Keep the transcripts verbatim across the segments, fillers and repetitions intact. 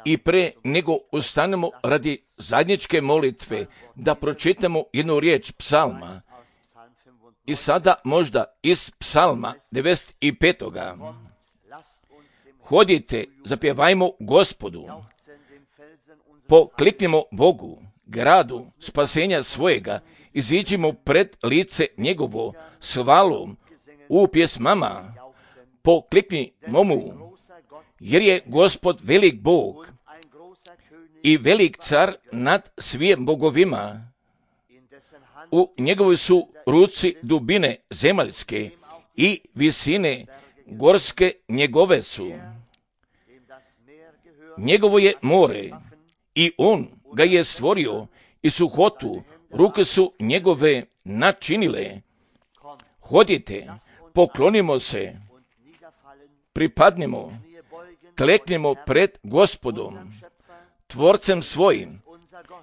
I pre nego ustanemo radi zajedničke molitve, da pročitamo jednu riječ psalma. I sada možda iz psalma devedeset petog. Hodite, zapjevajmo Gospodu, pokliknimo Bogu, gradu spasenja svojega, iziđimo pred lice njegovo s hvalom u pjesmama, pokliknimo mu, jer je Gospod velik Bog i velik car nad svim bogovima. U njegovoj su ruci dubine zemaljske i visine gorske njegove su. Njegovo je more i on ga je stvorio i suhotu ruke su njegove načinile. Hodite, poklonimo se, pripadnimo, kleknimo pred Gospodom, tvorcem svojim,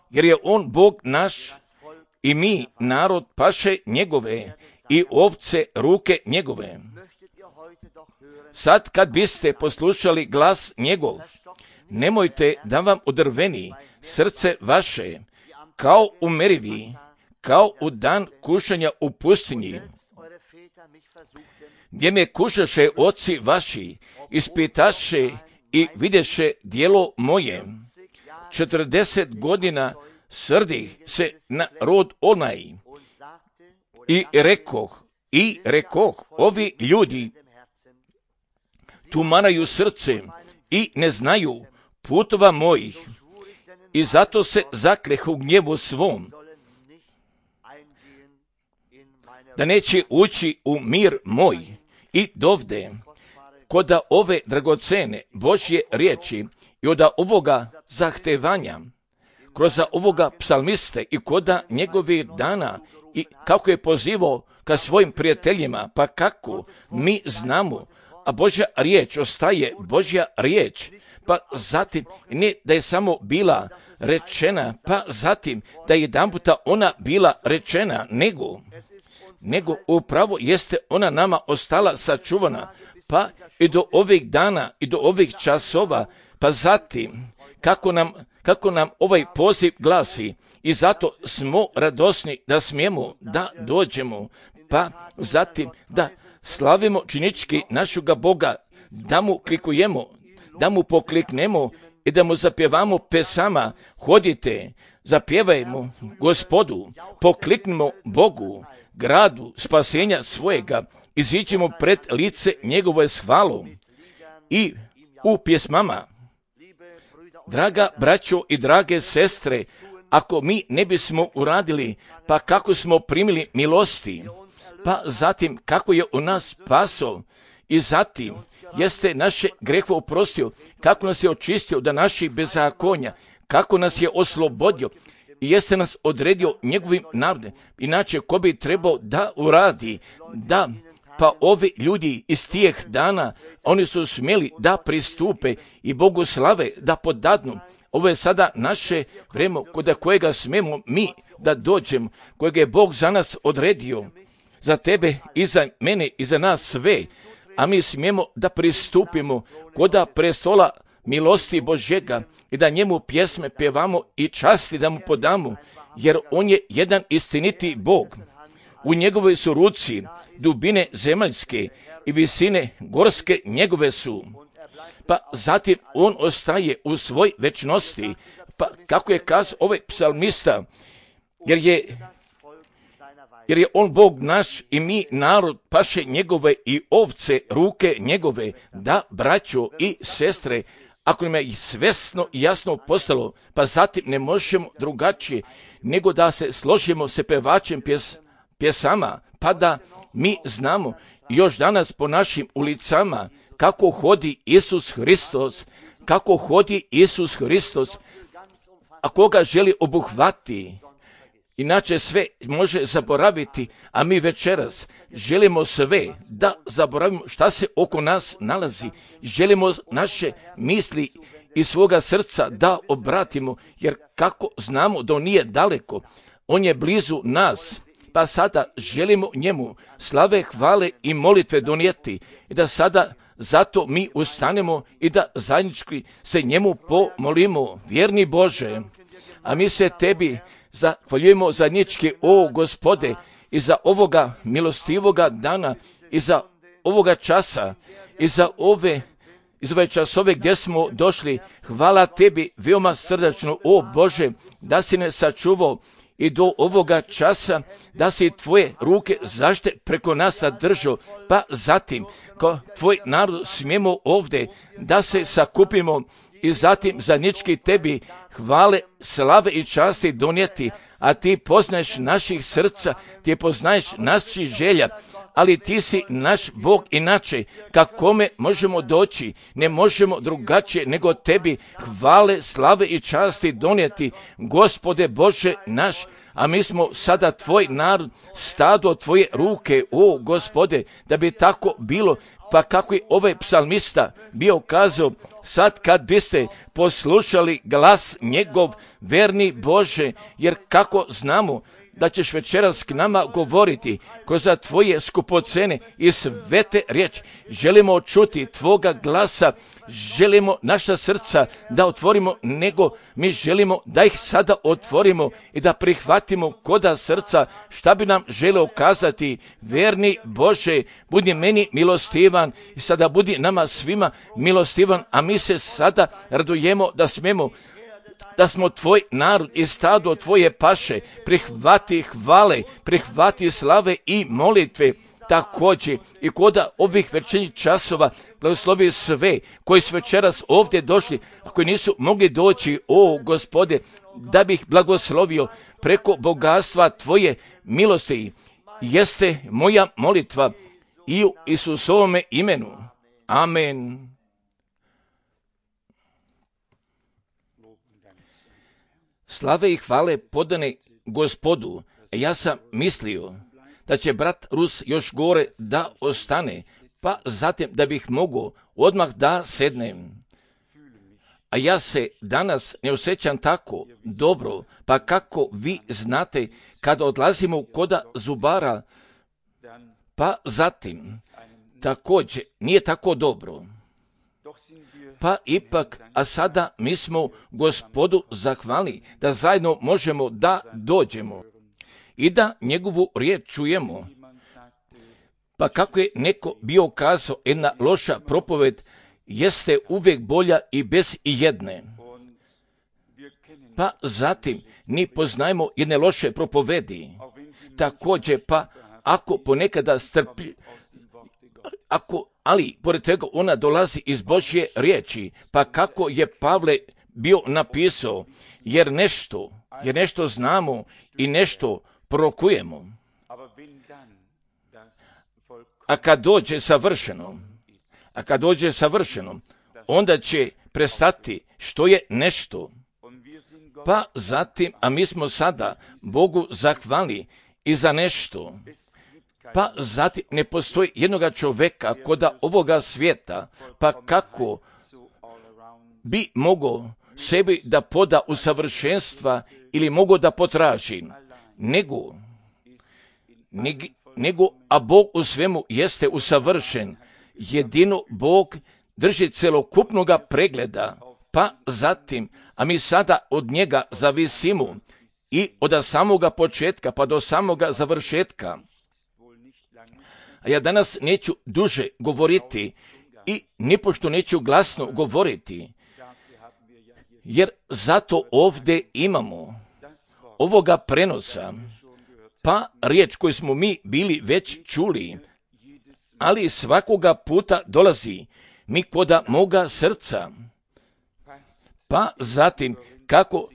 jer je on Bog naš i mi narod paše njegove i ovce ruke njegove. Sad kad biste poslušali glas njegov, nemojte da vam odrveni srce vaše, kao u merivi, kao u dan kušanja u pustinji, gdje me kušaše oci vaši, ispitaše i vidješe djelo moje. Četrdeset godina srdih se na rod onaj i rekoh, i rekoh, ovi ljudi tumaraju srce i ne znaju putova mojih i zato se zaklehu u gnjevu svom, da neće ući u mir moj. I dovde, koda ove dragocene Božje riječi i od ovoga zahtevanja, kroz ovoga psalmiste i koda njegovih dana i kako je pozivao ka svojim prijateljima, pa kako mi znamo, a Božja riječ ostaje Božja riječ, pa zatim ne da je samo bila rečena, pa zatim da je jedanputa ona bila rečena, nego, nego upravo jeste ona nama ostala sačuvana, pa i do ovih dana i do ovih časova, pa zatim kako nam, kako nam ovaj poziv glasi i zato smo radosni da smijemo da dođemo, pa zatim da slavimo činički našega Boga, da mu klikujemo, da mu pokliknemo i da mu zapjevamo pesama. Hodite, zapjevajmo Gospodu, pokliknimo Bogu, gradu spasenja svojega, iziđemo pred lice njegove s hvalom i u pjesmama. Draga braćo i drage sestre, ako mi ne bismo uradili, pa kako smo primili milosti, pa zatim kako je u nas spaso i zatim jeste naše grehove oprostio, kako nas je očistio da naših bezakonja, kako nas je oslobodio i jeste nas odredio njegovim narodom. Inače, ko bi trebao da uradi, da pa ovi ljudi iz tijeh dana, oni su smjeli da pristupe i Bogu slave da podadnu. Ovo je sada naše vrijeme kod kojega smemo mi da dođemo, kojega je Bog za nas odredio, za tebe i za mene i za nas sve, a mi smijemo da pristupimo koda prestola milosti Božjega i da njemu pjesme pjevamo i časti da mu podamo, jer on je jedan istiniti Bog. U njegovoj su ruci dubine zemaljske i visine gorske njegove su. Pa zatim on ostaje u svoj večnosti, pa kako je kazao ovaj psalmista, jer je jer je on Bog naš i mi narod paše njegove i ovce ruke njegove. Da, braćo i sestre, ako nam je svesno i jasno postalo, pa zatim ne možemo drugačije nego da se složimo se pevačem pjes, pjesama, pa da mi znamo još danas po našim ulicama kako hodi Isus Hristos, kako hodi Isus Hristos, a koga želi obuhvati. Inače sve može zaboraviti, a mi večeras želimo sve da zaboravimo šta se oko nas nalazi. Želimo naše misli i svoga srca da obratimo, jer kako znamo da on nije daleko, on je blizu nas. Pa sada želimo njemu slave, hvale i molitve donijeti i da sada zato mi ustanemo i da zajednički se njemu pomolimo, vjerni Bože. A mi se tebi zahvaljujemo zajednički, o Gospode, i za ovoga milostivoga dana, i za ovoga časa, i za ove, iz ove časove gdje smo došli. Hvala tebi veoma srdačno, o Bože, da si ne sačuvao i do ovoga časa, da si tvoje ruke zašte preko nas zadržao, pa zatim, ko tvoj narod smijemo ovdje da se sakupimo i zatim zajednički tebi hvale, slave i časti donijeti, a ti poznaješ naših srca, ti poznaješ naših želja, ali ti si naš Bog inače, kakome možemo doći, ne možemo drugačije nego tebi hvale, slave i časti donijeti, Gospode Bože naš. A mi smo sada tvoj narod, stado tvoje ruke, o Gospode, da bi tako bilo. Pa kako je ovaj psalmista bio kazao, sad kad biste poslušali glas njegov, verni Bože, jer kako znamo da ćeš večeras k nama govoriti kroz tvoje skupocene i svete riječi. Želimo čuti tvoga glasa, želimo naša srca da otvorimo, nego mi želimo da ih sada otvorimo i da prihvatimo koda srca šta bi nam želeo kazati. Verni Bože, budi meni milostivan i sada budi nama svima milostivan, a mi se sada radujemo da smemo da smo tvoj narod i stado tvoje paše. Prihvati hvale, prihvati slave i molitve. Također i koda ovih večernjih časova blagoslovi sve koji su večeras ovdje došli, a koji nisu mogli doći, o Gospode, da bih blagoslovio preko bogatstva tvoje milosti. Jeste moja molitva i u Isusovome imenu. Amen. Slave i hvale podane Gospodu. Ja sam mislio da će brat Rus još gore da ostane, pa zatim da bih mogao odmah da sednem. A ja se danas ne osjećam tako dobro, pa kako vi znate kada odlazimo koda zubara, pa zatim također nije tako dobro. Pa ipak, a sada mi smo Gospodu zahvalni da zajedno možemo da dođemo i da njegovu riječ čujemo. Pa kako je neko bio kazao, jedna loša propoved jeste uvijek bolja i bez ijedne. Pa zatim ni poznajemo jedne loše propovedi. Također, pa ako ponekada strplji, ako, ali pored toga ona dolazi iz Božje riječi, pa kako je Pavle bio napisao, jer nešto, jer nešto znamo i nešto prorokujemo. A kad dođe savršeno, a kad dođe savršeno, onda će prestati što je nešto. Pa zatim, a mi smo sada Bogu zahvalni i za nešto. Pa zatim ne postoji jednoga čovjeka koda ovoga svijeta, pa kako bi mogao sebi da poda u savršenstva ili mogao da potraži, nego, nego, nego a Bog u svemu jeste usavršen. Jedino Bog drži celokupnoga pregleda, pa zatim, a mi sada od njega zavisimo i od samoga početka pa do samoga završetka. A ja danas neću duže govoriti i nipošto neću glasno govoriti, jer zato ovdje imamo ovoga prenosa, pa riječ koju smo mi bili već čuli, ali svakoga puta dolazi mi koda moga srca. Pa zatim, kako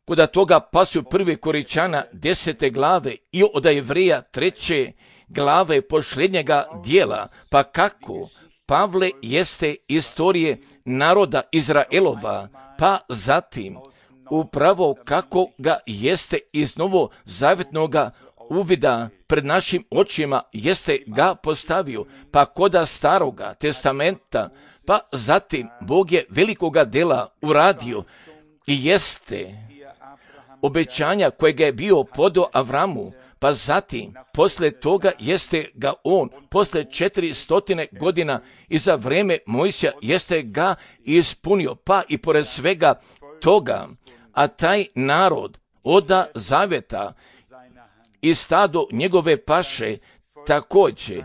koda toga pasu prvi Koričana desete glave i od Jevreja treće glave posljednjega dijela, pa kako Pavle jeste istorije naroda Izraelova, pa zatim upravo kako ga jeste iz novozavjetnoga uvida pred našim očima jeste ga postavio, pa koda staroga testamenta, pa zatim Bog je velikoga dela uradio i jeste obećanja kojega je bio podao Avramu, pa zatim, posle toga jeste ga on, posle četiristotine godina i za vreme Mojsija jeste ga ispunio, pa i pored svega toga, a taj narod oda zaveta i stado njegove paše također,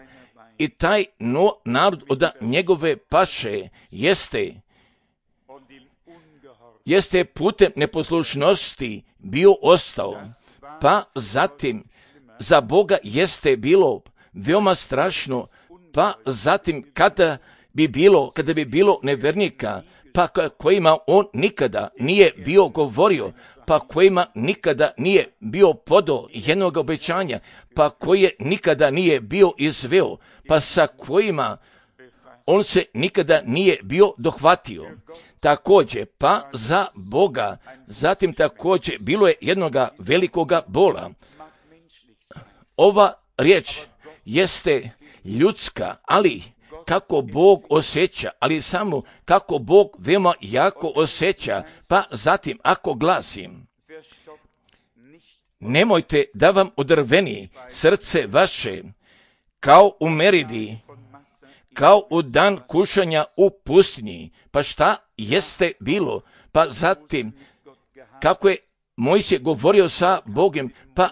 i taj no, narod oda njegove paše jeste jeste putem neposlušnosti bio ostao, pa zatim za Boga jeste bilo veoma strašno, pa zatim kada bi bilo, kada bi bilo nevernika, pa kojima on nikada nije bio govorio, pa kojima nikada nije bio podao jednog obećanja, pa koje nikada nije bio izveo, pa sa kojima on se nikada nije bio dohvatio. Također, pa za Boga, zatim također bilo je jednoga velikoga bola. Ova riječ jeste ljudska, ali kako Bog osjeća, ali samo kako Bog veoma jako osjeća, pa zatim ako glasim, nemojte da vam odrveni srce vaše, kao u Merivi, kao u dan kušanja u pustinji. Pa šta jeste bilo? Pa zatim, kako je Mojsije govorio sa Bogom, pa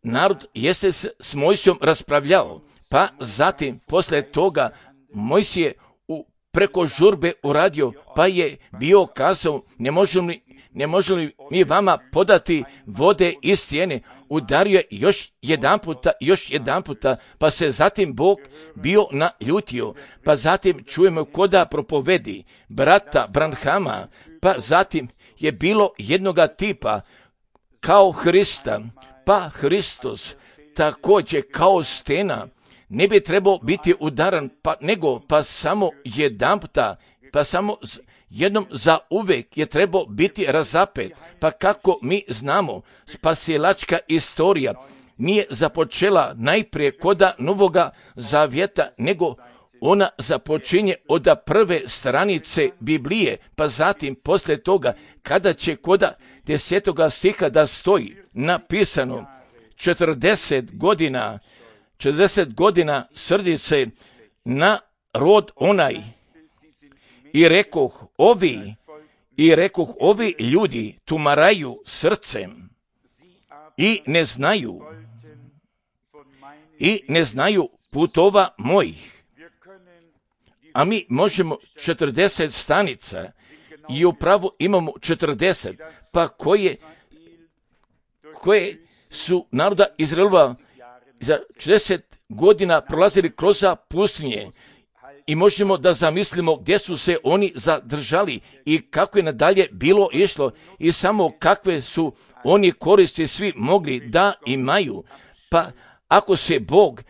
narod jeste s Mojsijom raspravljao. Pa zatim, posle toga, Mojsije u preko žurbe uradio, pa je bio kazao, ne možemo li, ne možemo li mi vama podati vode iz stijene. Udario je još jedan puta, još jedan puta, pa se zatim Bog bio naljutio. Pa zatim čujemo koda propovedi brata Branhama, pa zatim je bilo jednoga tipa kao Hrista, pa Hristos također kao stena ne bi trebao biti udaran, pa nego pa samo jedan puta, pa samo jednom za uvek je trebao biti razapet. Pa kako mi znamo, spasilačka istorija nije započela najprije koda Novoga Zavjeta, nego ona započinje od prve stranice Biblije, pa zatim poslije toga kada će koda desetoga stiha da stoji napisano četrdeset godina, četrdeset godina srdi se na rod onaj. I rekoh ovi, i rekoh ovi ljudi tumaraju srcem i ne znaju, i ne znaju putova mojih. A mi možemo četrdeset stanica i upravo imamo četrdeset, pa koje, koje su naroda Izraelova za četrdeset godina prolazili kroz pustinje. I možemo da zamislimo gdje su se oni zadržali i kako je nadalje bilo išlo i samo kakve su oni koristi svi mogli da imaju. Pa ako se Bog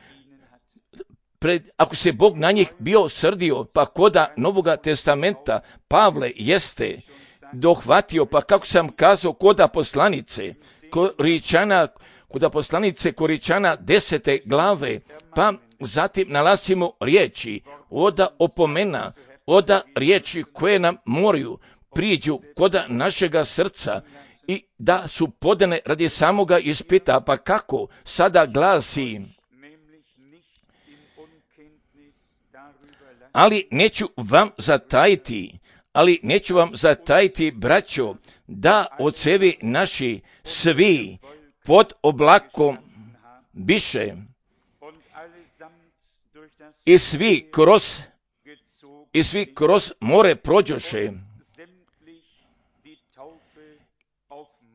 pred, ako se Bog na njih bio srdio, pa koda Novoga testamenta Pavle jeste dohvatio, pa kako sam kazao koda poslanice Koričana, koda poslanice Koričana desete glave, pa zatim nalazimo riječi oda opomena, oda riječi koje nam moraju priđu koda našega srca i da su podane radi samoga ispita. Pa kako sada glasi, ali neću vam zatajiti, ali neću vam zatajiti, braćo, da ocevi naši svi pod oblakom biše i svi kroz i svi kroz more prođoše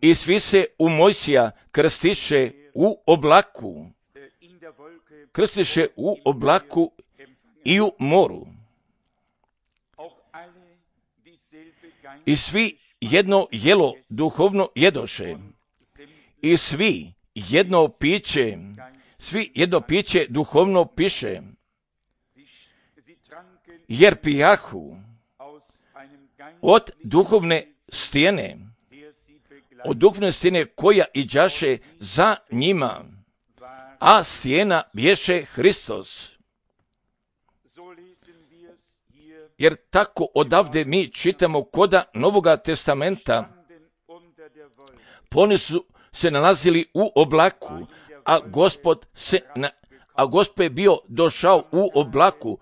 i svi se u Mojsija krstiše u oblaku, krstiše u oblaku i u moru. I svi jedno jelo duhovno jedoše i svi jedno piće, svi jedno piće duhovno piše, jer pijahu od duhovne stijene, od duhovne stijene koja iđaše za njima, a stijena bješe Hristos. Jer tako odavde mi čitamo koda Novoga testamenta, Pa oni su se nalazili u oblaku, a Gospod se na, a Gospod je bio došao u oblaku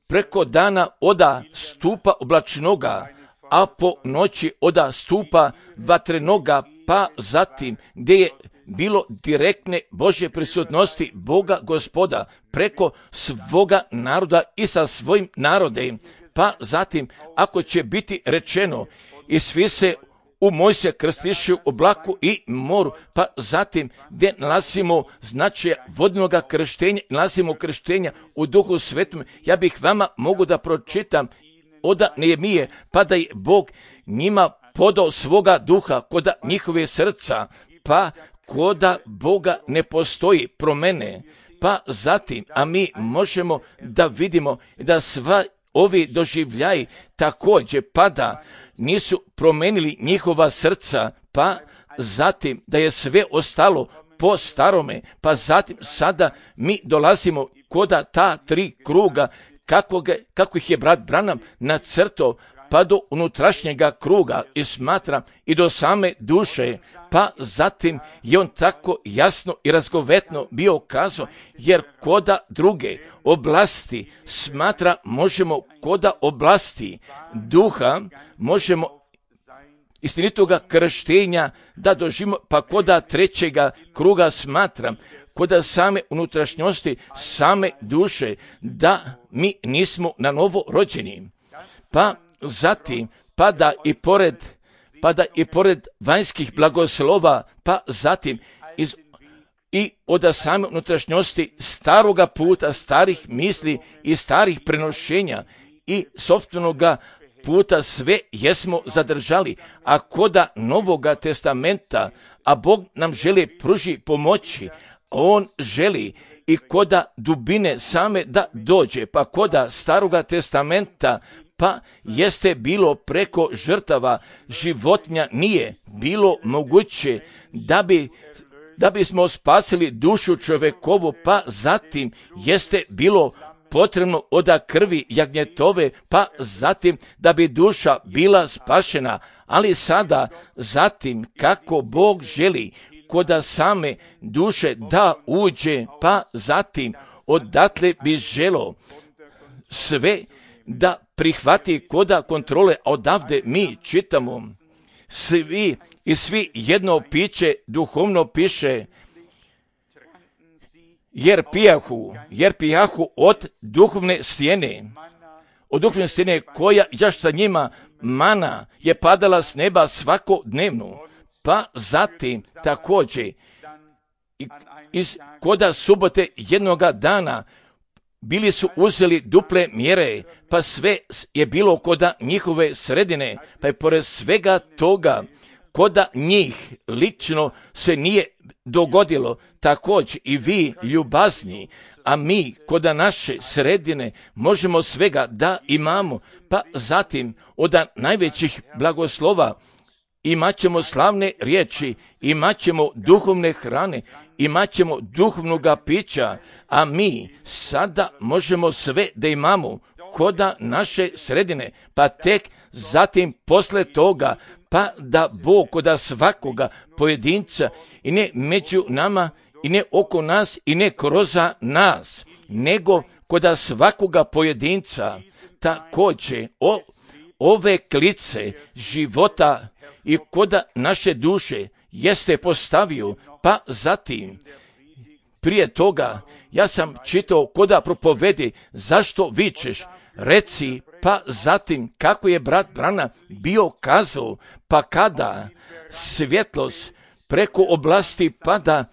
preko dana oda stupa oblačnoga, a po noći oda stupa vatrenoga, pa zatim gdje je bilo direktne Božje prisutnosti Boga Gospoda preko svoga naroda i sa svojim narodem. Pa zatim ako će biti rečeno i svi se u Mojsija krstiše u oblaku i moru, pa zatim gdje nalazimo značaja vodnog krštenja, nalazimo krštenja u Duhu Svetom. Ja bih vama mogu da pročitam od Nehemije, pa da je Bog njima podao svoga duha koda njihove srca, pa koda Boga ne postoji promene. Pa zatim, a mi možemo da vidimo da sva ovi doživljaji također pada, nisu promenili njihova srca, pa zatim da je sve ostalo po starome, pa zatim sada mi dolazimo koda ta tri kruga, kako, ga, kako ih je brat Branham nacrtao, pa do unutrašnjega kruga i smatra i do same duše, pa zatim je on tako jasno i razgovetno bio kazao, jer koda druge oblasti smatra možemo koda oblasti duha, možemo istinitoga krštenja da doživimo, pa koda trećega kruga smatram, koda same unutrašnjosti, same duše, da mi nismo na novo rođeni. Pa zatim, pada i pored, pada i pored vanjskih blagoslova, pa zatim iz, i od same unutrašnjosti staroga puta, starih misli i starih prenošenja i sopstvenoga puta sve jesmo zadržali, a koda Novoga testamenta, a Bog nam želi pruži pomoći, On želi i koda dubine same da dođe, pa koda Staroga testamenta, pa jeste bilo preko žrtava životinja, nije bilo moguće da bi da bismo spasili dušu čovekovu, pa zatim jeste bilo potrebno oda krvi jagnjetove, pa zatim da bi duša bila spašena, ali sada zatim kako Bog želi koda same duše da uđe, pa zatim odatle bi želo sve da prihvati koda kontrole. Odavde mi čitamo svi i svi jedno piće duhovno piše, jer pijahu, jer pijahu od duhovne stijene, od duhovne stijene koja jaš sa njima mana je padala s neba svakodnevno, pa zatim također iz koda subote jednoga dana bili su uzeli duple mjere, pa sve je bilo koda njihove sredine, pa je pored svega toga koda njih lično se nije dogodilo, također i vi ljubazni, a mi koda naše sredine možemo svega da imamo, pa zatim od najvećih blagoslova imat ćemo slavne riječi, imat ćemo duhovne hrane, imat ćemo duhovnoga pića, a mi sada možemo sve da imamo koda naše sredine, pa tek zatim posle toga, pa da Bog koda svakoga pojedinca i ne među nama i ne oko nas i ne kroz nas, nego koda svakoga pojedinca također o, ove klice života i koda naše duše jeste postavio, pa zatim prije toga ja sam čitao koda propovedi zašto vičeš, reci, pa zatim kako je brat Branham bio kazao, pa kada svjetlost preko oblasti pada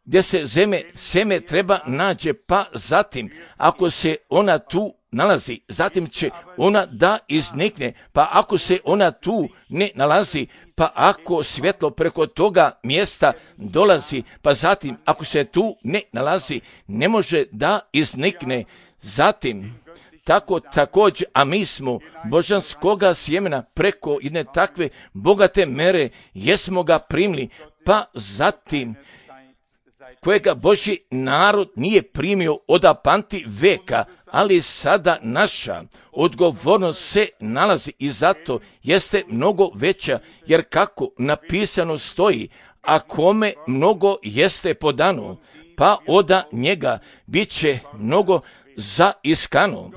gdje se zeme, seme treba nađe, pa zatim ako se ona tu nalazi, zatim će ona da iznikne, pa ako se ona tu ne nalazi, pa ako svjetlo preko toga mjesta dolazi, pa zatim ako se tu ne nalazi, ne može da iznikne. Zatim, tako također, a mi smo božanskoga sjemena preko jedne takve bogate mere, jesmo ga primili, pa zatim kojega Božji narod nije primio od panti veka, ali sada naša odgovornost se nalazi i zato jeste mnogo veća, jer kako napisano stoji, a kome mnogo jeste podano, pa oda njega bit će mnogo zaiskano.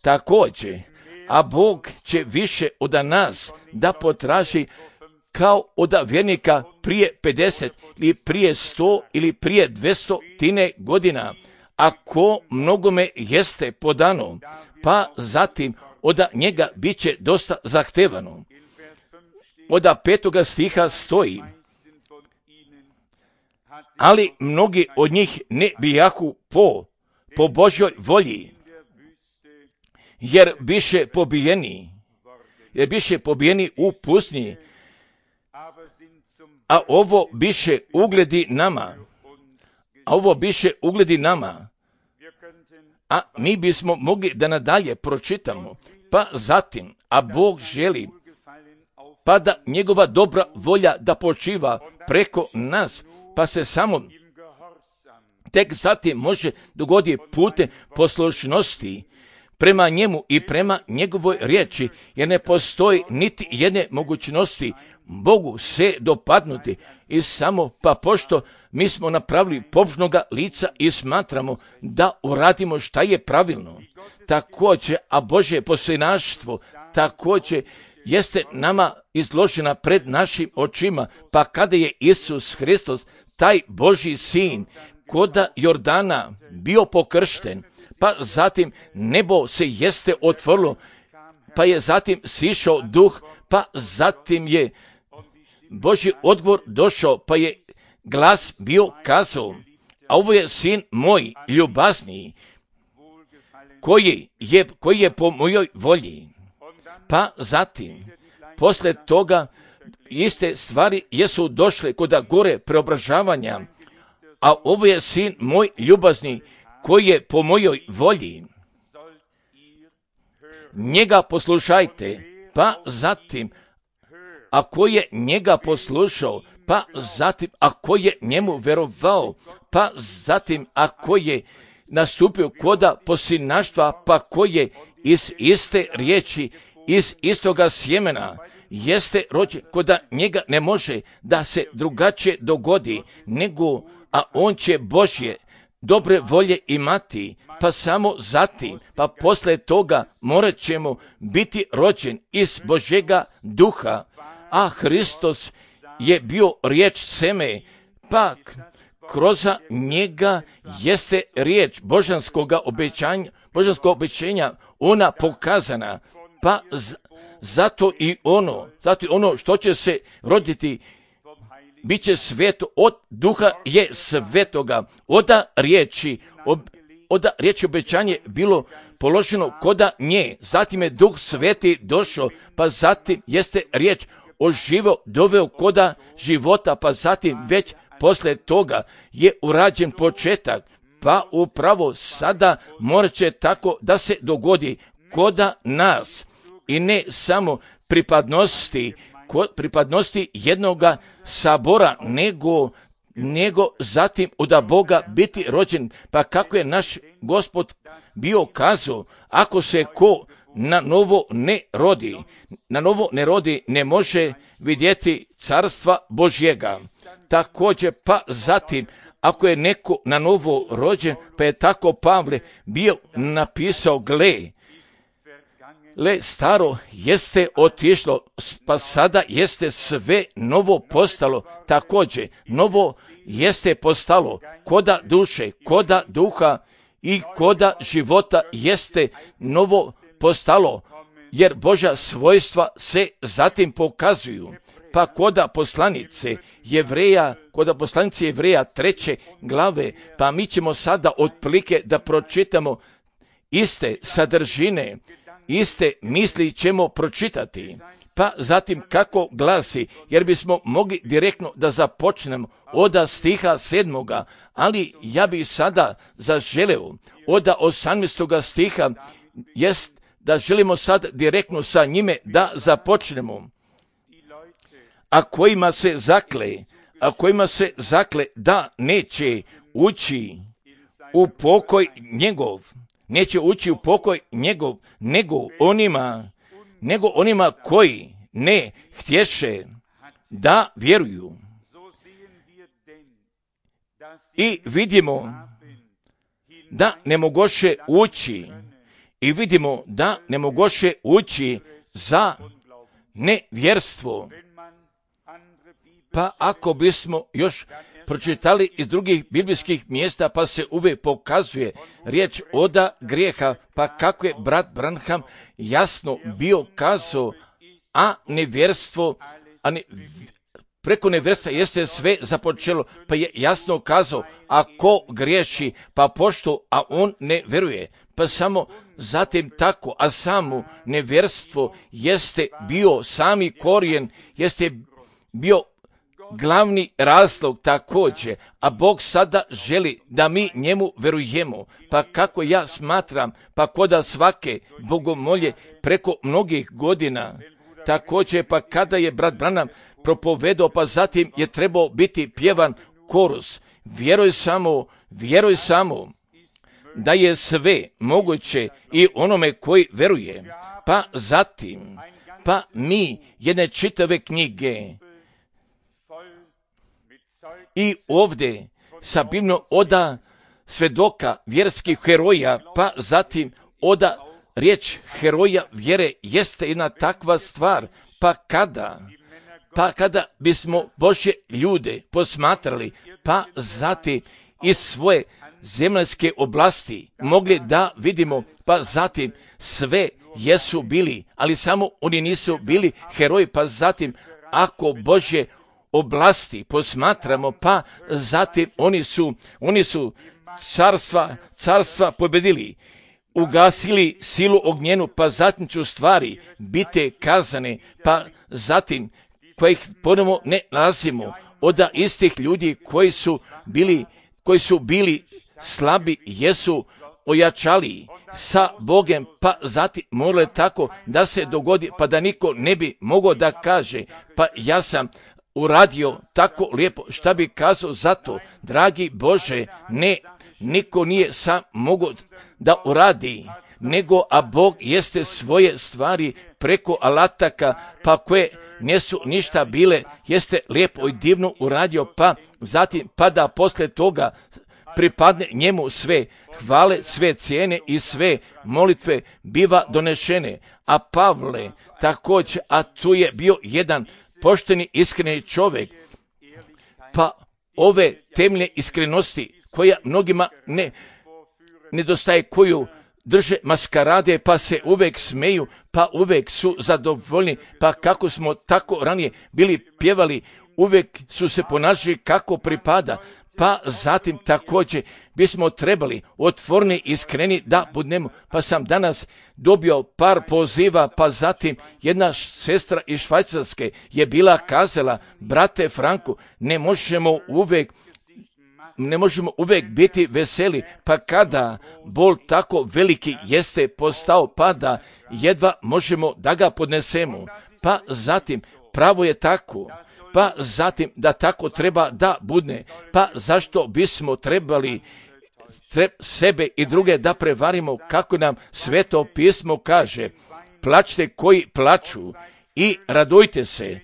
Također, a Bog će više od nas da potraži kao od vjernika prije pedeset ili prije sto ili prije dvjesto tine godina, ako mnogome jeste podano, pa zatim od njega bit će dosta zahtevano. Od petoga stiha stoji, ali mnogi od njih ne bijahu po, po Božjoj volji, jer biše pobijeni, jer biše pobijeni u pustinji, a ovo biše ugledi nama, a ovo biše ugledi nama, a mi bismo mogli da nadalje pročitamo, pa zatim, a Bog želi, pa da njegova dobra volja da počiva preko nas, pa se samo tek zatim može dogoditi putem poslušnosti prema njemu i prema njegovoj riječi, jer ne postoji niti jedne mogućnosti Bogu se dopadnuti i samo pa pošto mi smo napravili pobožnoga lica i smatramo da uradimo šta je pravilno. Također, a Božje posljednaštvo također jeste nama izložena pred našim očima, pa kada je Isus Hristos, taj Božji sin, koda Jordana bio pokršten, pa zatim nebo se jeste otvorilo, pa je zatim sišao duh, pa zatim je Božji odgovor došao, pa je glas bio kazao, a ovo je sin moj ljubazniji, koji je, koji je po mojoj volji. Pa zatim, posle toga, iste stvari jesu došle kod gore preobražavanja, a ovo je sin moj ljubazni, koji je po mojoj volji. Njega poslušajte, pa zatim, ako je njega poslušao, pa zatim, ako je njemu verovao, pa zatim, ako je nastupio koda posljednaštva, pa koji je iz iste riječi, iz istoga sjemena, jeste rođen, koda njega ne može da se drugačije dogodi, nego, a on će Božje dobre volje imati, pa samo zatim, pa posle toga morat ćemo biti rođen iz Božjega duha, a Hristos je bio riječ seme, pa kroz njega jeste riječ božanskoga obećanja, božanskog obećanja, ona pokazana, pa z, zato i ono, zato i ono što će se roditi, bit će sveto, od duha je svetoga, oda riječi, ob, oda riječi obećanje bilo položeno koda nje, zatim je duh sveti došao, pa zatim jeste riječ oživio, doveo koda života, pa zatim već posle toga je urađen početak, pa upravo sada morat će tako da se dogodi koda nas i ne samo pripadnosti, kod pripadnosti jednoga sabora, nego, nego zatim od Boga biti rođen, pa kako je naš Gospod bio kazao, ako se ko na novo ne rodi, na novo ne rodi, ne može vidjeti carstva Božjega. Također, pa zatim, ako je neko na novo rođen, pa je tako Pavle bio napisao, gle, le staro jeste otišlo, pa sada jeste sve novo postalo, također novo jeste postalo, koda duše, koda duha i koda života jeste novo postalo, jer Božja svojstva se zatim pokazuju. Pa koda poslanice Jevreja, koda poslanice Jevreja treće glave, pa mi ćemo sada otprilike da pročitamo iste sadržine, iste misli ćemo pročitati. Pa zatim kako glasi, jer bismo mogli direktno da započnemo od stiha sedmoga, ali ja bih sada zaželeo od osamnaestoga stiha, jest da želimo sad direktno sa njime da započnemo. A kojima se zakle, a kojima se zakle da neće ući u pokoj njegov, neće ući u pokoj njegov, nego onima, nego onima koji ne htješe da vjeruju. I vidimo da ne mogoše ući, i vidimo da ne mogoše ući za nevjerstvo. Pa ako bismo još pročitali iz drugih biblijskih mjesta, pa se uvijek pokazuje riječ oda grijeha, pa kako je brat Branham jasno bio kazao, a nevjerstvo, a ne, preko nevjerstva jeste sve započelo, pa je jasno kazao, ako griješi, pa pošto, a on ne vjeruje, pa samo zatim tako, a samo nevjerstvo jeste bio sami korijen, jeste bio glavni razlog također, a Bog sada želi da mi njemu verujemo. Pa kako ja smatram, pa koda svake bogomolje preko mnogih godina, također pa kada je brat Branham propovedao, pa zatim je trebao biti pjevan korus. Vjeruj samo, vjeruj samo da je sve moguće i onome koji veruje. Pa zatim, pa mi jedne čitave knjige i ovdje sabivno oda svedoka vjerskih heroja, pa zatim oda riječ heroja vjere jeste jedna takva stvar, pa kada, pa kada bismo Božje ljude posmatrali, pa zatim iz svoje zemaljske oblasti mogli da vidimo, pa zatim sve jesu bili, ali samo oni nisu bili heroji, pa zatim ako Božje oblasti posmatramo, pa zatim oni su, oni su carstva, carstva pobjedili, ugasili silu ognjenu, pa zatim ću stvari biti kazane, pa zatim kojih ponovno ne nalazimo od istih ljudi koji su bili, koji su bili slabi, jesu ojačali sa Bogem, pa zatim moralo tako da se dogodi, pa da niko ne bi mogao da kaže, pa ja sam uradio tako lijepo, šta bi kazao za to, dragi Bože, ne, niko nije sam mogao da uradi, nego a Bog jeste svoje stvari preko alataka, pa koje nisu ništa bile, jeste lijepo i divno uradio, pa zatim pa da poslije toga pripadne njemu sve hvale, sve cijene i sve molitve biva donešene. A Pavle također, a tu je bio jedan pošteni, iskreni čovjek, pa ove temeljne iskrenosti koja mnogima ne nedostaje, koju drže maskarade, pa se uvijek smeju, pa uvijek su zadovoljni, pa kako smo tako ranije bili pjevali, uvijek su se ponašali kako pripada, pa zatim također bismo trebali otvorni, iskreni da budemo, pa sam danas dobio par poziva, pa zatim jedna sestra iz Švajcarske je bila kazala, brate Franku, ne možemo uvijek ne možemo uvijek biti veseli, pa kada bol tako veliki jeste postao, pa da jedva možemo da ga podnesemo, pa zatim pravo je tako, pa zatim da tako treba da budne, pa zašto bismo trebali treb, sebe i druge da prevarimo, kako nam Sveto pismo kaže, plačte koji plaču i radujte se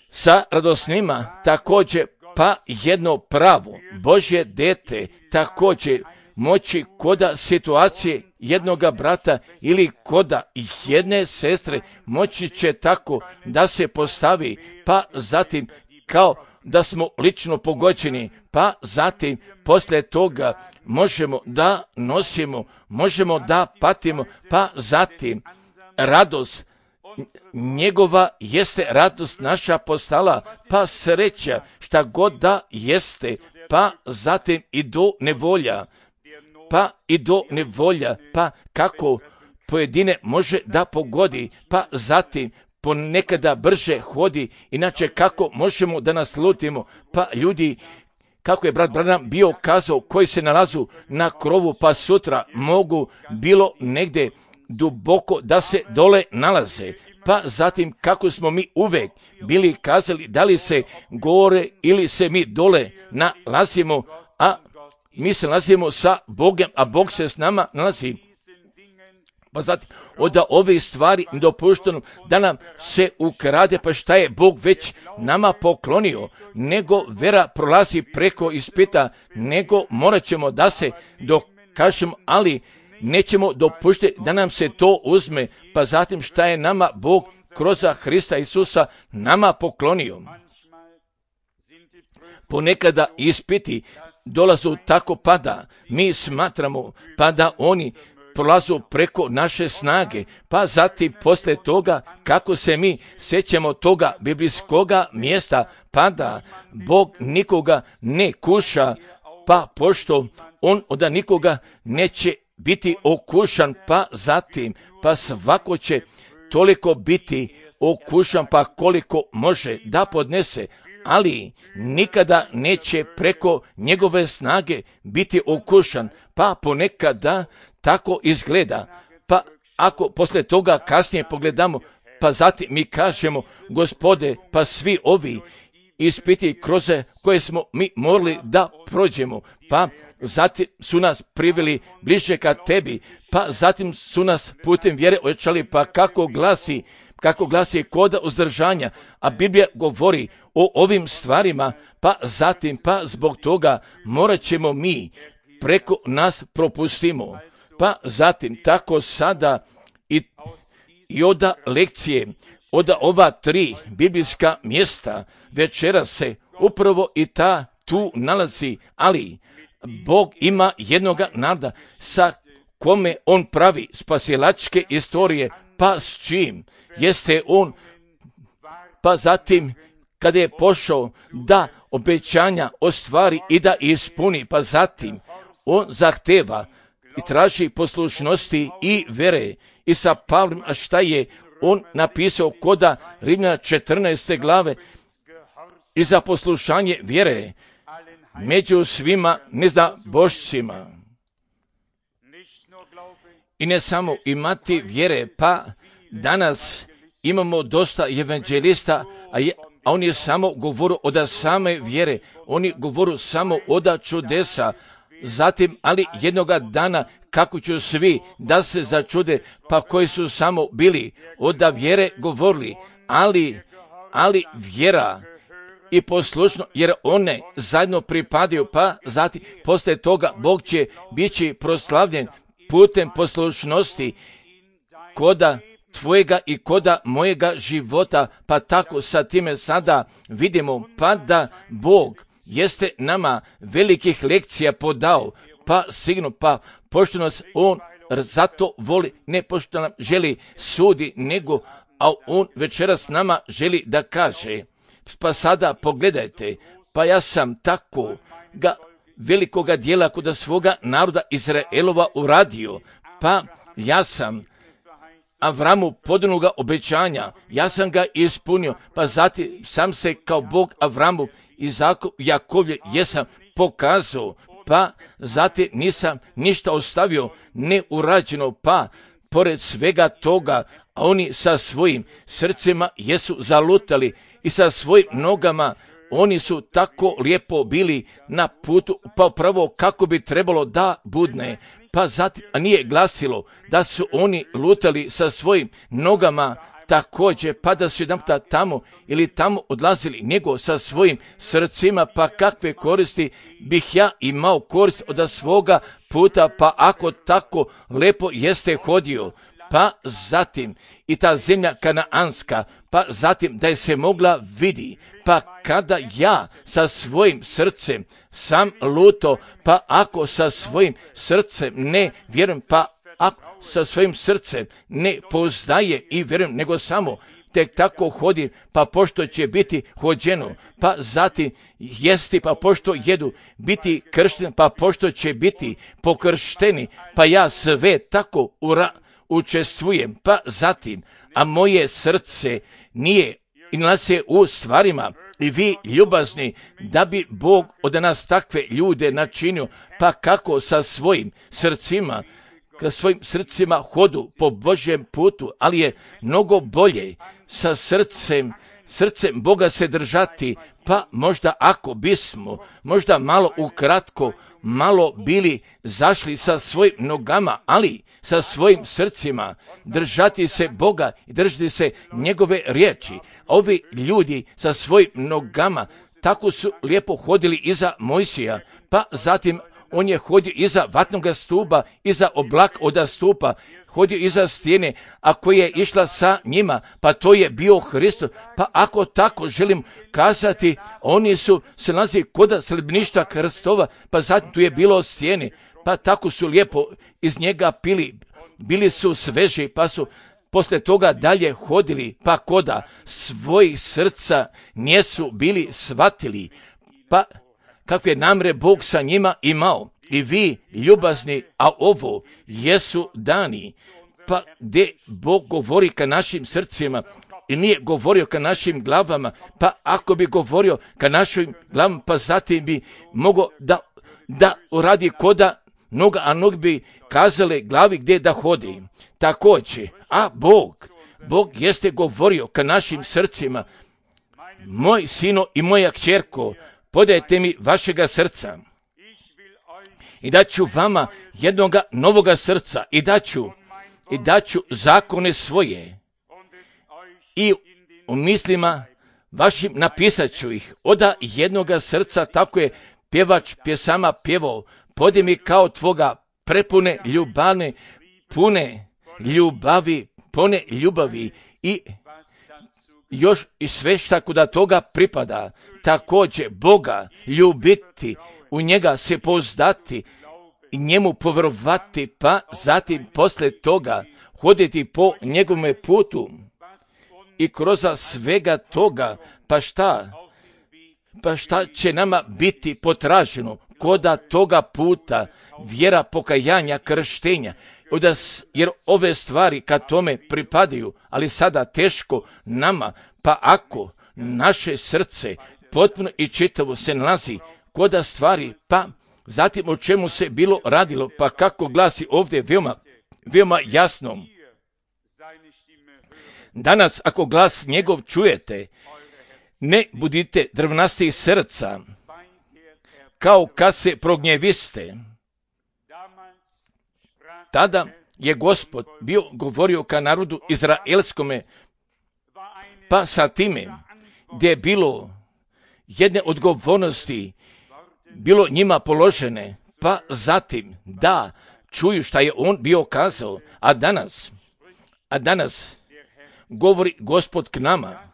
sa radosnima, također pa jedno pravo Božje dete također moći koda situacije jednoga brata ili koda jedne sestre moći će tako da se postavi, pa zatim kao da smo lično pogođeni, pa zatim poslije toga možemo da nosimo, možemo da patimo, pa zatim radost njegova jeste radost naša postala, pa sreća šta god da jeste, pa zatim i do nevolja, pa i do nevolja, pa kako pojedine može da pogodi, pa zatim ponekada brže hodi, inače kako možemo da naslutimo, pa ljudi, kako je brat Branham bio kazao, koji se nalazu na krovu, pa sutra mogu bilo negdje duboko da se dole nalaze, pa zatim kako smo mi uvek bili kazali da li se gore ili se mi dole nalazimo, a mi se nalazimo sa Bogom, a Bog se s nama nalazi. Pa zatim, od ove stvari dopušteno da nam se ukrade, pa šta je Bog već nama poklonio, nego vera prolazi preko ispita, nego morat ćemo da se dokažemo, ali nećemo dopuštiti da nam se to uzme, pa zatim šta je nama Bog kroz Hrista Isusa nama poklonio. Ponekada ispiti dolazu tako pa da mi smatramo pa da oni prolazu preko naše snage, pa zatim poslije toga kako se mi sjećamo toga biblijskoga mjesta, pa da Bog nikoga ne kuša, pa pošto on od nikoga neće biti okušan, pa zatim pa svako će toliko biti okušan pa koliko može da podnese, ali nikada neće preko njegove snage biti okušan, pa ponekada tako izgleda. Pa ako poslije toga kasnije pogledamo, pa zatim mi kažemo, Gospode, pa svi ovi ispiti kroz koje smo mi morali da prođemo, pa zatim su nas priveli bliže ka tebi, pa zatim su nas putem vjere ojačali, pa kako glasi, kako glasi koda uzdržanja, a Biblija govori o ovim stvarima, pa zatim, pa zbog toga morat ćemo mi preko nas propustimo. Pa zatim, tako sada i, i oda lekcije, oda ova tri biblijska mjesta, večeras se upravo i ta tu nalazi, ali Bog ima jednoga naroda sa kome on pravi spasilačke istorije, pa s čim jeste on, pa zatim kada je pošao da obećanja ostvari i da ispuni, pa zatim on zahteva i traži poslušnosti i vere. I sa Pavlom, a šta je on napisao koda Rimljana četrnaeste glave, i za poslušanje vjere među svima neznabošcima. I ne samo imati vjere, pa danas imamo dosta evanđelista, a, je, a oni samo govoru od same vjere, oni govoru samo od čudesa. Zatim, ali jednoga dana kako će svi da se začude, pa koji su samo bili od vjere govorili, ali, ali vjera i poslušno, jer one zajedno pripadaju, pa zatim poslije toga Bog će biti proslavljen putem poslušnosti koda tvojega i koda mojega života, pa tako sa time sada vidimo pa da Bog jeste nama velikih lekcija podao, pa sigurno, pa pošto nas on zato voli, ne pošto nam želi sudi, nego, a on večeras nama želi da kaže, pa sada pogledajte, pa ja sam tako ga velikoga dijela kod svoga naroda Izraelova uradio, pa ja sam Avramu podanuga obećanja, ja sam ga ispunio, pa zatim sam se kao Bog Avramu i Jakovlje jesam pokazao, pa zatim nisam ništa ostavio neurađeno, pa pored svega toga, a oni sa svojim srcima jesu zalutali i sa svojim nogama oni su tako lijepo bili na putu, pa pravo kako bi trebalo da budne, pa zatim, a nije glasilo da su oni lutali sa svojim nogama također, pa da su jedan puta tamo ili tamo odlazili, nego sa svojim srcima, pa kakve koristi bih ja imao korist od svoga puta, pa ako tako lepo jeste hodio, pa zatim i ta zemlja kanaanska, pa zatim da je se mogla vidi, pa kada ja sa svojim srcem sam luto, pa ako sa svojim srcem ne vjerujem, pa ako sa svojim srcem ne poznaje i vjerujem, nego samo tek tako hodi, pa pošto će biti hođeno, pa zatim jesti, pa pošto jedu, biti kršteni, pa pošto će biti pokršteni, pa ja sve tako ura, učestvujem, pa zatim, a moje srce nije i nalazi u stvarima, i vi ljubazni, da bi Bog od nas takve ljude načinio, pa kako sa svojim srcima, ka svojim srcima hodu po Božjem putu, ali je mnogo bolje sa srcem srcem Boga se držati, pa možda ako bismo, možda malo ukratko, malo bili zašli sa svojim nogama, ali sa svojim srcima, držati se Boga i držati se njegove riječi. Ovi ljudi sa svojim nogama tako su lijepo hodili iza Mojsija, pa zatim on je hodio iza vatnoga stupa, iza oblak oda stupa, hodio iza stijene, a koja je išla sa njima, pa to je bio Hristos. Pa ako tako želim kazati, oni su se nalazi kod sljedbeništva Krstova, pa zatim tu je bilo stijene, pa tako su lijepo iz njega pili, bili su sveži, pa su poslije toga dalje hodili, pa koda svojih srca nisu bili shvatili, pa kakve namre Bog sa njima imao. I vi, ljubazni, a ovo jesu dani, pa gdje Bog govori ka našim srcima i nije govorio ka našim glavama, pa ako bi govorio ka našim glavama, pa zatim bi mogao da, da uradi koda noga, a nog bi kazale glavi gdje da hodi. Također, a Bog, Bog jeste govorio ka našim srcima, moj sino i moja kćerko, podajte mi vašega srca i daću vama jednoga novoga srca i daću, i daću zakone svoje i u mislima vašim napisat ću ih. Oda jednoga srca, tako je pjevač pjesama pjevao, podaj mi kao tvoga prepune ljubavne, pune ljubavi, pune ljubavi i još i sve šta kuda toga pripada. Također Boga ljubiti, u njega se pouzdati i njemu povjerovati, pa zatim poslije toga hoditi po njegovome putu i kroz svega toga, pa šta? Pa šta će nama biti potraženo koda toga puta, vjera, pokajanja, krštenja, jer ove stvari kad tome pripadaju, ali sada teško nama, pa ako naše srce potpuno i čitavo se nalazi koda stvari, pa zatim o čemu se bilo radilo, pa kako glasi ovdje veoma, veoma jasno. Danas ako glas njegov čujete, ne budite drvnasti srca, kao kad se prognjeviste. Tada je Gospod bio govorio ka narodu izraelskome, pa sa time gdje je bilo jedne odgovornosti, bilo njima položene, pa zatim da čuju šta je on bio kazao, a danas, a danas govori Gospod k nama,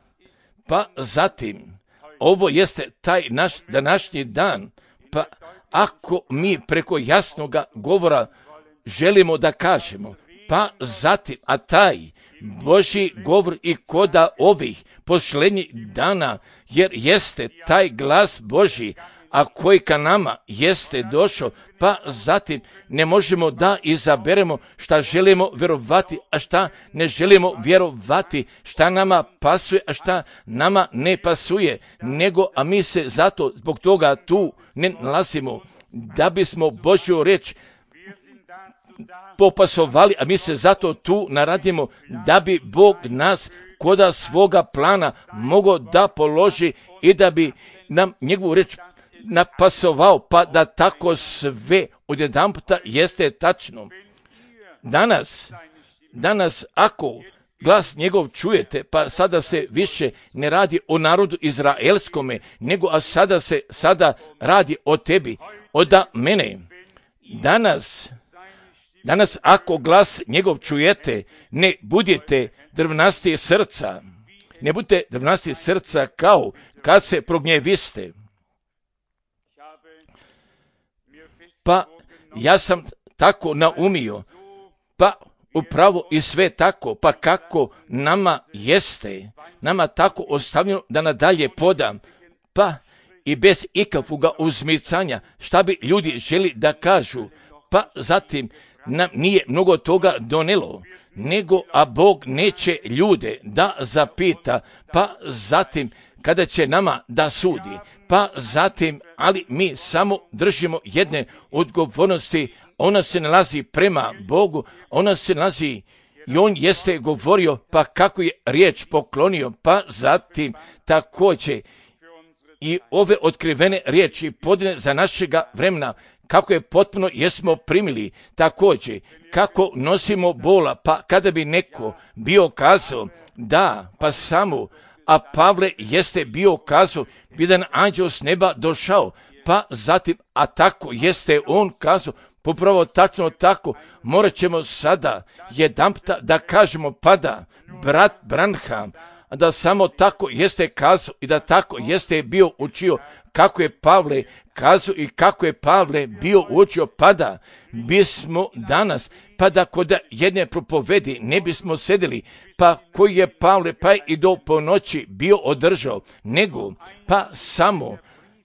pa zatim ovo jeste taj naš današnji dan, pa ako mi preko jasnoga govora želimo da kažemo, pa zatim, a taj Božji govor i koda ovih posljednjih dana, jer jeste taj glas Božji, a koji ka nama jeste došao, pa zatim ne možemo da izaberemo šta želimo vjerovati, a šta ne želimo vjerovati, šta nama pasuje, a šta nama ne pasuje, nego, a mi se zato zbog toga tu ne nalazimo, da bismo Božju riječ popasovali, a mi se zato tu naradimo, da bi Bog nas koda svoga plana mogao da položi i da bi nam njegovu riječ napasovao, pa da tako sve odjedanputa jeste tačno. Danas, danas ako glas njegov čujete, pa sada se više ne radi o narodu izraelskome, nego a sada se sada radi o tebi, oda mene. Danas, danas ako glas njegov čujete, ne budite drvnasti srca, ne budite drvnasti srca kao kad se prognjeviste. Pa ja sam tako naumio, pa upravo i sve tako, pa kako nama jeste, nama tako ostavljeno da nadalje podam, pa i bez ikakvoga uzmicanja, šta bi ljudi želi da kažu, pa zatim nam nije mnogo toga donelo, nego a Bog neće ljude da zapita, pa zatim kada će nama da sudi, pa zatim, ali mi samo držimo jedne odgovornosti, ona se nalazi prema Bogu, ona se nalazi I on jeste govorio, pa kako je riječ poklonio, pa zatim također i ove otkrivene riječi podne za našega vremena, kako je potpuno jesmo primili, također kako nosimo bola, pa kada bi neko bio kazao da, pa samo, a Pavle jeste bio kazao, jedan anđeo s neba došao, pa zatim, a tako jeste on kazao, popravo tačno tako, morat ćemo sada jedanputa da kažemo, pa da, brat Branham, da samo tako jeste kazao i da tako jeste bio učio, kako je Pavle kazao i kako je Pavle bio učio, pa da bismo danas, pa da kod jedne propovedi ne bismo sedeli, pa koji je Pavle pa i do ponoći bio održao, nego pa samo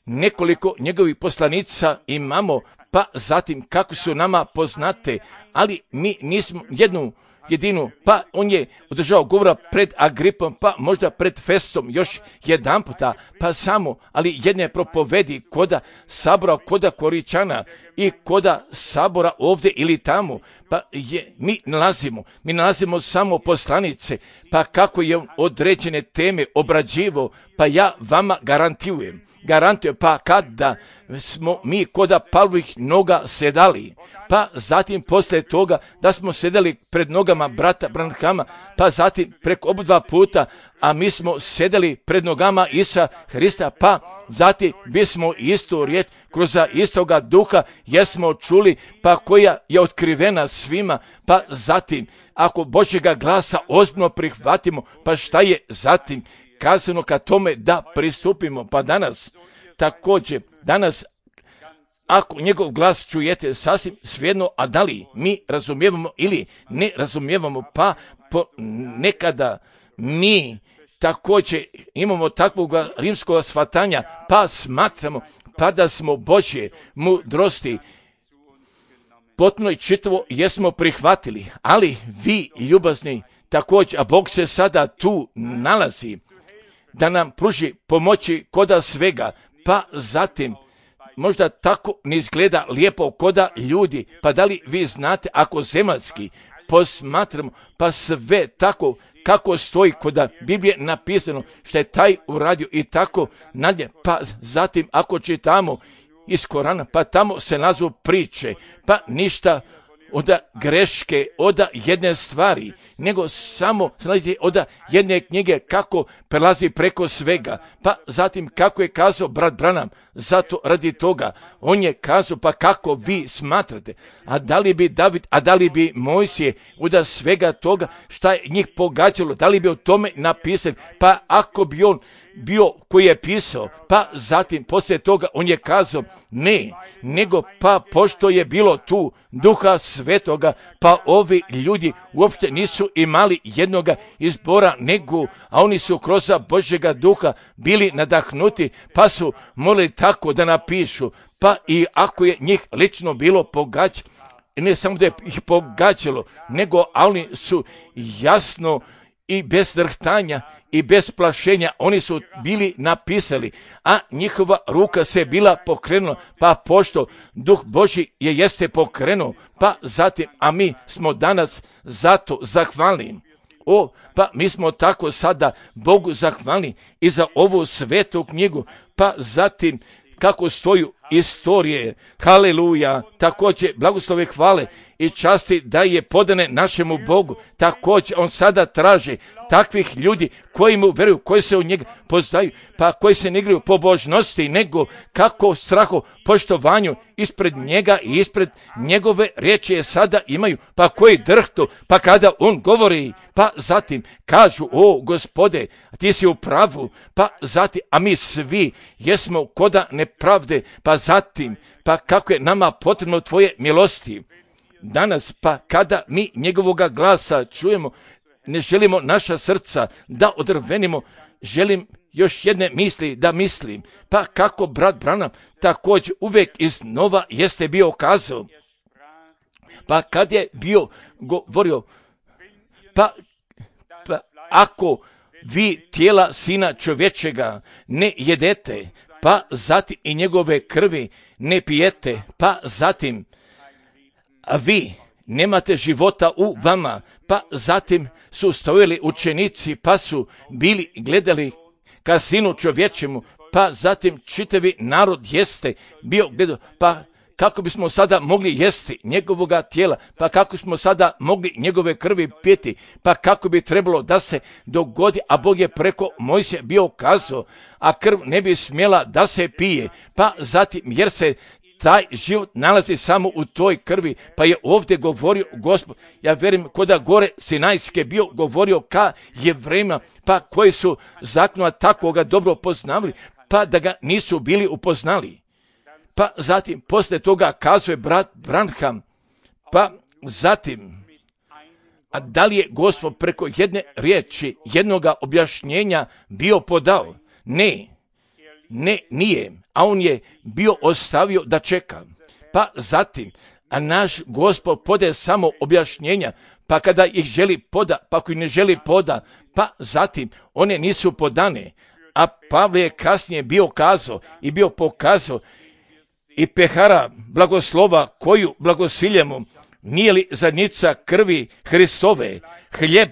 nekoliko njegovih poslanica imamo, pa zatim kako su nama poznate, ali mi nismo jednu jedinu, pa on je održao govora pred Agripom, pa možda pred Festom još jedan puta, pa samo, ali jedne propovedi koda sabora, koda Koričana i koda sabora ovdje ili tamo, pa je, mi nalazimo, mi nalazimo samo poslanice, pa kako je on određene teme obrađivo, pa ja vama garantijujem, garantujem, pa kada smo mi koda Pavlovih noga sedali, pa zatim poslije toga da smo sedeli pred nogama brata Branhama, pa zatim preko oba dva puta, a mi smo sedeli pred nogama Isusa Hrista, pa zatim bismo istu riječ kroz istoga duha jesmo čuli, pa koja je otkrivena svima, pa zatim ako Božjega glasa ozbiljno prihvatimo, pa šta je zatim kazano ka tome da pristupimo, pa danas također, danas ako njegov glas čujete sasvim svejedno, a da li mi razumijevamo ili ne razumijevamo, pa po nekada mi također imamo takvog rimskog shvatanja, pa smatramo pa da smo Božje mudrosti potpuno i čitavo jesmo prihvatili, ali vi ljubazni također, a Bog se sada tu nalazi da nam pruži pomoći koda svega, pa zatim možda tako ne izgleda lijepo koda ljudi, pa da li vi znate ako zemaljski posmatramo, pa sve tako kako stoji koda Biblije napisano što je taj uradio i tako nadalje, pa zatim ako čitamo iz Korana, pa tamo se nazu priče, pa ništa od greške, od jedne stvari, nego samo od jedne knjige kako prelazi preko svega, pa zatim kako je kazao brat Branham, zato radi toga, on je kazao pa kako vi smatrate, a da li bi David, a da li bi Mojsije od svega toga šta je njih pogađalo, da li bi o tome napisali, pa ako bi on bio koji je pisao, pa zatim poslije toga on je kazao ne, nego pa pošto je bilo tu Duha Svetoga, pa ovi ljudi uopšte nisu imali jednoga izbora, nego, a oni su kroz Božjega Duha bili nadahnuti, pa su morali tako da napišu, pa i ako je njih lično bilo pogađ, ne samo da je ih pogađalo, nego a oni su jasno i bez drhtanja i bez plašenja oni su bili napisali, a njihova ruka se bila pokrenula, pa pošto Duh Božji je jeste pokrenuo, pa zatim, a mi smo danas zato zahvalni. O, pa mi smo tako sada Bogu zahvalni i za ovu svetu knjigu, pa zatim kako stoju istorije, haleluja, također blagoslove hvale i časti da je podane našemu Bogu, također on sada traži takvih ljudi koji mu veruju, koji se u njega poznaju, pa koji se ne igraju pobožnosti, nego kako strahu, poštovanju ispred njega i ispred njegove riječi je sada imaju, pa koji drhtu, pa kada on govori, pa zatim kažu, o Gospode, ti si u pravu, pa zatim, a mi svi jesmo koda nepravde, pa zatim, pa kako je nama potrebno tvoje milosti. Danas, pa kada mi njegovoga glasa čujemo, ne želimo naša srca da odrvenimo, želim još jedne misli da mislim, pa kako brat Branham također uvijek iznova jeste bio kazao, pa kad je bio govorio, pa, pa ako vi tijela Sina čovječega ne jedete, pa zatim i njegove krvi ne pijete, pa zatim a vi nemate života u vama. Pa zatim su stojili učenici, pa su bili gledali ka Sinu čovječemu, pa zatim čitavi narod jeste bio gledao, pa kako bismo sada mogli jesti njegovoga tijela, pa kako smo sada mogli njegove krvi piti, pa kako bi trebalo da se dogodi, a Bog je preko Mojsija bio kazao, a krv ne bi smjela da se pije, pa zatim jer se taj život nalazi samo u toj krvi, pa je ovdje govorio Gospod, ja vjerujem koda gore Sinajske bio govorio ka Jevrejima, pa koji su zakona tako ga dobro poznavali, pa da ga nisu bili upoznali. Pa zatim, poslije toga kazuje brat Branham, pa zatim, a da li je Gospod preko jedne riječi, jednoga objašnjenja bio podao? Ne, ne, nije, a on je bio ostavio da čeka. Pa zatim, a naš Gospod podaje samo objašnjenja, pa kada ih želi poda, pa ako ih ne želi poda, pa zatim one nisu podane. A Pavle je kasnije bio kazao i bio pokazao i pehara blagoslova koju blagosiljemo, nije li zadnjica krvi Hristove, hljeb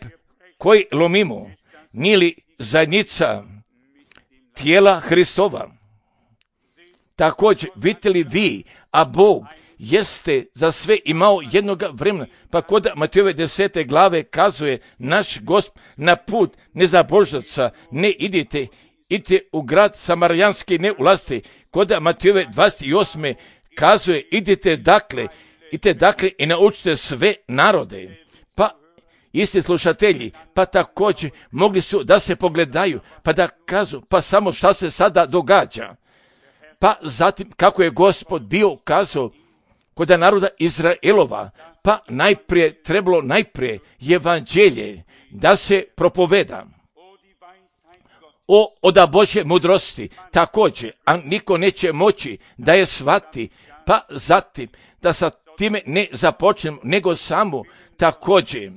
koji lomimo, nije li zadnjica tijela Hristova. Također, vidite li vi, a Bog jeste za sve imao jednoga vremena, pa kod Matejove desete glave kazuje naš Gospod na put nezabožnaca ne idite, idite u grad Samarijanski ne ulazite. Kod Matejove dvadeset osme kazuje idite dakle, idite dakle i naučite sve narode. Pa isti slušatelji, pa također mogli su da se pogledaju, pa da kažu, pa samo šta se sada događa. Pa zatim kako je Gospod bio kazao kod naroda Izraelova, pa najprije trebalo najprije evanđelje da se propoveda. O, oda Božje mudrosti, također, a niko neće moći da je shvati, pa zatim da sa time ne započnemo, nego samo također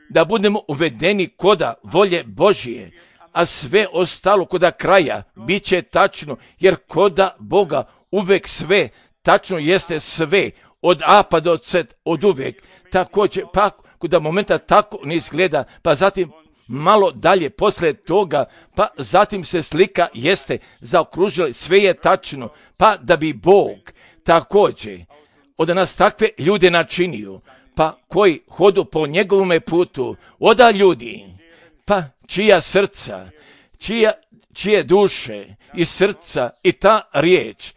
da budemo uvedeni koda volje Božije, a sve ostalo koda kraja bit će tačno, jer koda Boga uvek sve tačno jeste sve, od A pa do Z, od uvek. Također, pa koda momenta tako ne izgleda, pa zatim malo dalje poslije toga, pa zatim se slika jeste zaokružila, sve je tačno, pa da bi Bog također od nas takve ljude načinio, pa koji hodu po njegovome putu, oda ljudi, pa čija srca, čija, čije duše i srca i ta riječ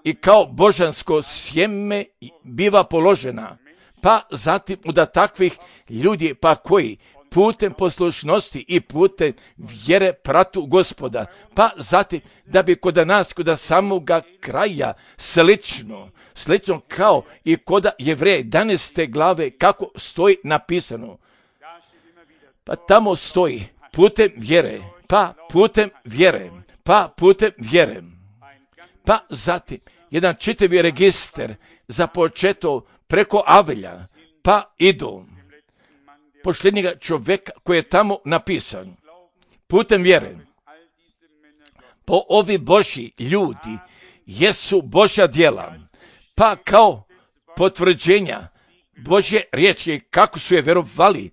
i kao božansko sjeme biva položena, pa zatim da takvih ljudi, pa koji putem poslušnosti i putem vjere pratu Gospoda, pa zatim da bi kod nas, kod samoga kraja slično, slično kao i kod Jevreja jedanaeste glave kako stoji napisano. Pa tamo stoji putem vjere, pa putem vjere, pa putem vjere. Pa zatim jedan čitavi register započeto preko Avelja, pa idu posljednjega čovjeka koji je tamo napisan putem vjere. Po ovi Božji ljudi jesu Božja djela, pa kao potvrđenja Božje riječi kako su je vjerovali,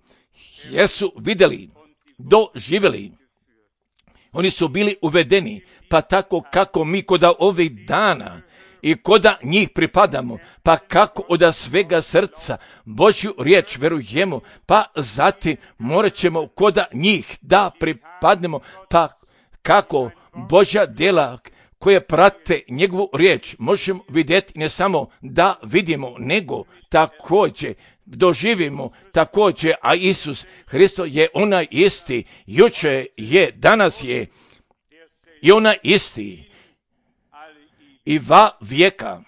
jesu vidjeli, doživjeli. Oni su bili uvedeni, pa tako kako mi koda ovih dana i koda njih pripadamo, pa kako od svega srca Božju riječ verujemo, pa zatim morat ćemo koda njih da pripadnemo, pa kako Božja djela koje prate njegovu riječ možemo vidjeti, ne samo da vidimo, nego također doživimo također, a Isus Hristo je onaj isti, jučer je, danas je i onaj isti i va vijeka,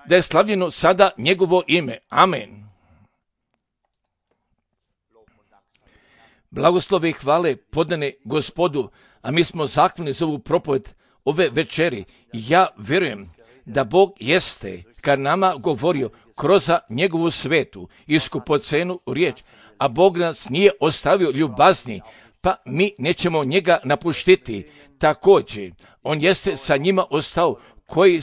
da je slavljeno sada njegovo ime. Amen. Blagoslovi i hvale podane Gospodu, a mi smo zahvalni za ovu propoved ove večeri. Ja vjerujem da Bog jeste ka nama govorio kroz njegovu svetu i skupocenu riječ, a Bog nas nije ostavio ljubazni, pa mi nećemo njega napuštiti. Također, on jeste sa njima ostao koji,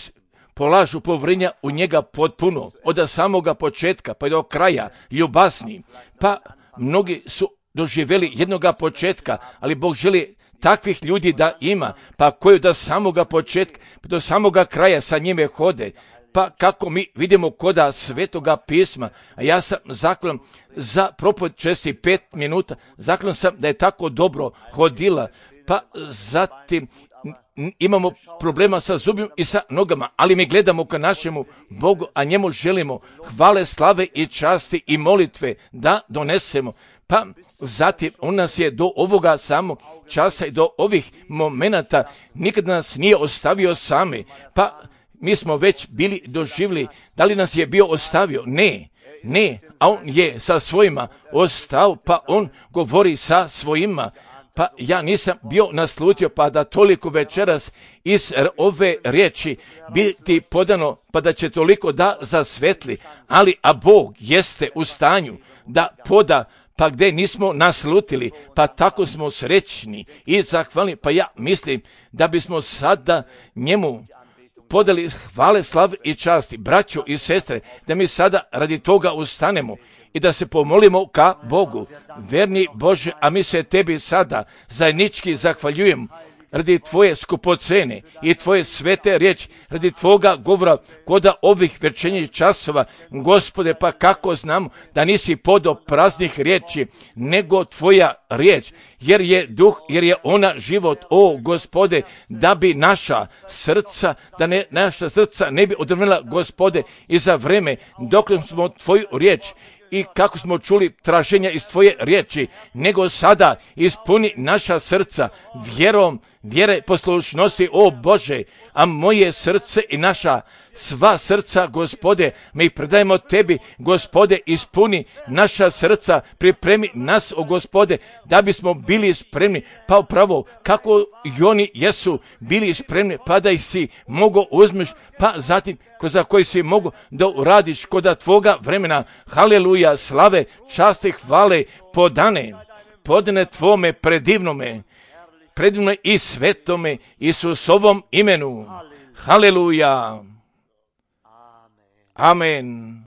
polažu povjerenja u njega potpuno, od samoga početka pa do kraja, ljubasni. Pa mnogi su doživjeli jednoga početka, ali Bog želi takvih ljudi da ima, pa koji do samoga početka, pa do samoga kraja sa njime hode. Pa kako mi vidimo koda Svetoga pisma, a ja sam zahvalan za propoved česti pet minuta, zahvalan sam da je tako dobro hodila, pa zatim imamo problema sa zubima i sa nogama, ali mi gledamo ka našemu Bogu, a njemu želimo hvale, slave i časti i molitve da donesemo. Pa zatim on nas je do ovoga samog časa i do ovih momenata nikad nas nije ostavio sami, pa mi smo već bili doživjeli. Da li nas je bio ostavio? Ne, ne, a on je sa svojima ostao, pa on govori sa svojima. Pa ja nisam bio naslutio pa da toliko večeras iz ove riječi biti podano, pa da će toliko da zasvetli, ali a Bog jeste u stanju da poda, pa gdje nismo naslutili, pa tako smo srećni i zahvalni. Pa ja mislim da bismo sada njemu podali hvale, slave i časti, braćo i sestre, da mi sada radi toga ustanemo i da se pomolimo ka Bogu. Verni Bože, a mi se tebi sada zajednički zahvaljujemo radi tvoje skupocene i tvoje svete riječi, radi tvoga govora koda ovih večernjih časova. Gospode, pa kako znamo da nisi podo praznih riječi, nego tvoja riječ, jer je duh, jer je ona život, o Gospode, da bi naša srca, da ne, naša srca ne bi odvrnula, Gospode, i za vreme dok smo tvoju riječ i kako smo čuli traženja iz tvoje riječi, nego sada ispuni naša srca vjerom, vjere poslušnosti, o Bože, a moje srce i naša sva srca, Gospode, mi predajemo tebi, Gospode, ispuni naša srca, pripremi nas, o Gospode, da bismo bili spremni, pa upravo kako i oni jesu bili spremni, pa da ih si mogo uzmeš, pa zatim za koji si mogu da uradiš koda tvoga vremena. Haleluja, slave, časti, hvale, podane, podane tvome predivnome, predivnome i svetome Isusovom imenu. Haleluja. Amen.